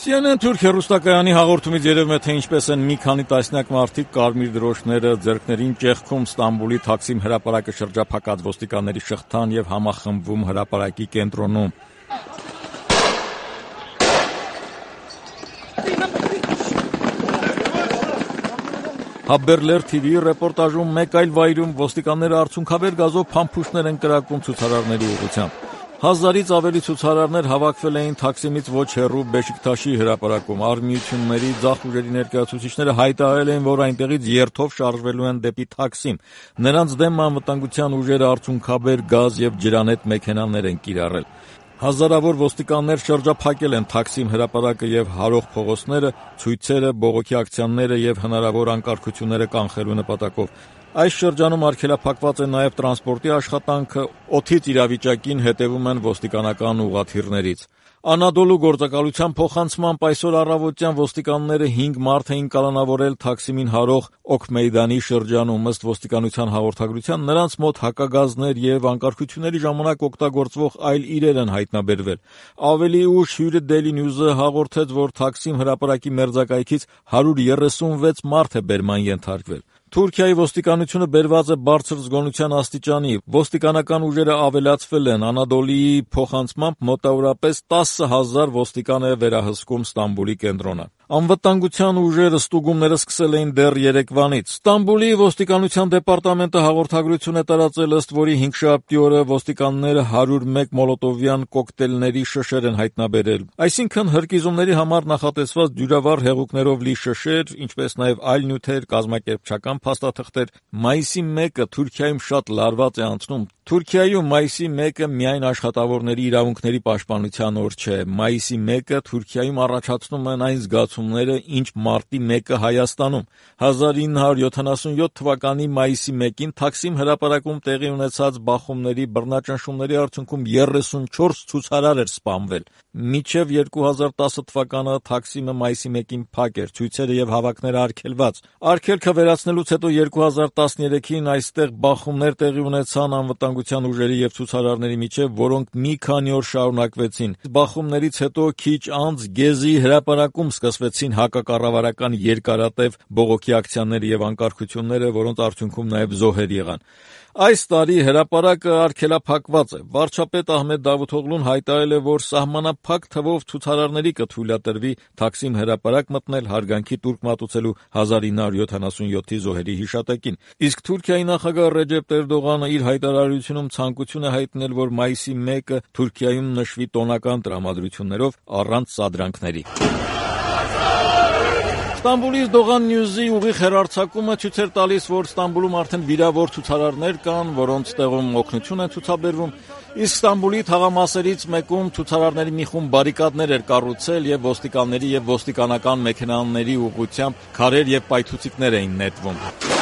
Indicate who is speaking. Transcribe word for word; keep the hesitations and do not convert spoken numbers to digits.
Speaker 1: Սի Են Են Թուրք հեռուստակայանի հաղորդումից երևում է, թե ինչպես են մի քանի տասնյակ մարդիկ կարմիր դրոշները ձեռքներին ճեղքում Ստամբուլի Թաքսիմ հրապարակը շրջափակած ոստիկանների շղթան եւ համախմբվում հրապարակի կենտրոնում։ Haberler թի վիի ռեպորտաժում մեկ այլ վայրում ոստիկանները արցունքաբեր գազով փամփուշտներ են կրակում ցուցարարների ուղղությամբ։ Հազարից ավելի ցուցարարներ հավաքվել էին Թաքսիմից ոչ հեռու Բեշիկթաշի հրապարակում։ Արմիությունների ձախ ուժերի ներկայացուցիչները հայտարարել էին, որ այնտեղից երթով շարժվելու են դեպի Թաքսիմ։ Նրանց դեմ անվտանգության ուժերը արցունքաբեր գազ եւ ջրանետ մեքենաներ են կիրառել։ Հազարավոր ոստիկաններ շրջափակել են Թաքսիմ հրապարակը եւ հարող փողոցները, ցույցերը, բողոքի ակցիաները եւ հնարավոր անկարգությունները կանխելու նպատակով։ Այս շրջանում արգելափակված է նաև տրանսպորտի աշխատանքը, օդից իրավիճակին հետևում են ոստիկանական ուղղաթիռներից։ Անադոլու գործակալության փոխանցմամբ այսօր առավոտյան ոստիկանները հինգ մարդ էին կալանավորել Թաքսիմին հարող Օքմեյդանի շրջանում։ Ըստ ոստիկանության հաղորդագրության, նրանց մոտ հակագազներ եւ անկարգությունների ժամանակ օգտագործվող այլ իրեր են հայտնաբերվել։ Ավելի ուշ հյուրը Daily News-ը հաղորդեց, որ Թաքսիմ հրապարակի մերձակայքից հարյուր երեսունվեց մարդ է բերման ենթարկվել։ Թուրքիայի ոստիկանությունը բերված է բարձր զգոնության աստիճանի։ Ոստիկանական ուժերը ավելացվել են։ Անադոլիի փոխանցմամբ մոտավորապես տասը հազար ոստիկան է վերահսկում Ստամբուլի կենտրոնը։ Անվտանգության ուժերը ստուգումները սկսել էին դեռ երեկվանից։ Ստամբուլի ոստիկանության դեպարտամենտը հաղորդագրություն է տարածել, ըստ որի հինգշաբթի օրը ոստիկանները հարյուր մեկ մոլոտովյան կոկտեյլների շշեր են հայտնաբերել։ Այսինքն հրկիզումների համար նախատեսված դյուրավառ հեղուկներով լի շշեր, ինչպես նաև այլ նյութեր, կազմակերպչական փաստաթղթեր։ Մայիսի մեկը Թուրքիայում շատ լարված է անցնում։ Թուրքիայում մայիսի մեկը միայն աշխատավորների իրավունքների պաշտպանության օր չէ։ Մայիսի մեկը Թուրքիայում առաջացնում են այն զգացումները, ինչ մարտի մեկը Հայաստանում։ հազար ինը հարյուր յոթանասունյոթ թվականի մայիսի մեկին Թաքսիմ հրապարակում տեղի ունեցած բախումների բռնաճնշումների արդյունքում երեսունչորս ցուցարար էր սպանվել։ Մինչև երկու հազար տասը թվականը Թաքսիմը մայիսի մեկին փակ էր, ցույցերը եւ հավաքները արգելված։ Արգելքը վերացնելուց հետո երկու հազար տասներեքին այստեղ բախումներ տեղի ունեցան անվտանգության ուժերի եւ ցուցարարների միջև, որոնք մի քանի օր շարունակվեցին։ Բախումներից հետո քիչ անց Գեզի հրապարակում սկսվեցին հակակառավարական երկարատև բողոքի ակցիաները եւ անկարգությունները, որոնց արդյունքում նաեւ զոհեր եղան։ Այս տարի հրապարակը արգելափակված է։ Վարչապետ Ահմեդ Դավութօղլուն հայտարարել է, որ սահմանափակ թվով ցուցարարների կթույլատրվի Թաքսիմ հրապարակ մտնել հարգանքի տուրք մատուցելու հազար ինը հարյուր յոթանասունյոթի զոհերի հիշատակին։ Իսկ Թուրքիայի նախագահ Ռեջեփ Էրդողանը իր հայտարարությունում ցանկություն է հայտնել, որ մայիսի մեկը Թուրքիայում նշվի տոնական տրամադրություններով առանց սադրանքների։ Ստամբուլից Դողան Նյուզի ուղիղ հեռարձակումը ցույց էր տալիս, որ Ստամբուլում արդեն վիրավոր ցուցարարներ կան, որոնց տեղում օգնություն է ցուցաբերվում, իսկ Ստամբուլի թաղամասերից մեկում ցուցարարների մի խումբ բարիկադներ էր կառուցել եւ ոստիկանների եւ ոստիկանական մեքենաների ուղղությամբ քարեր եւ պայթուցիկներ էին նետվում։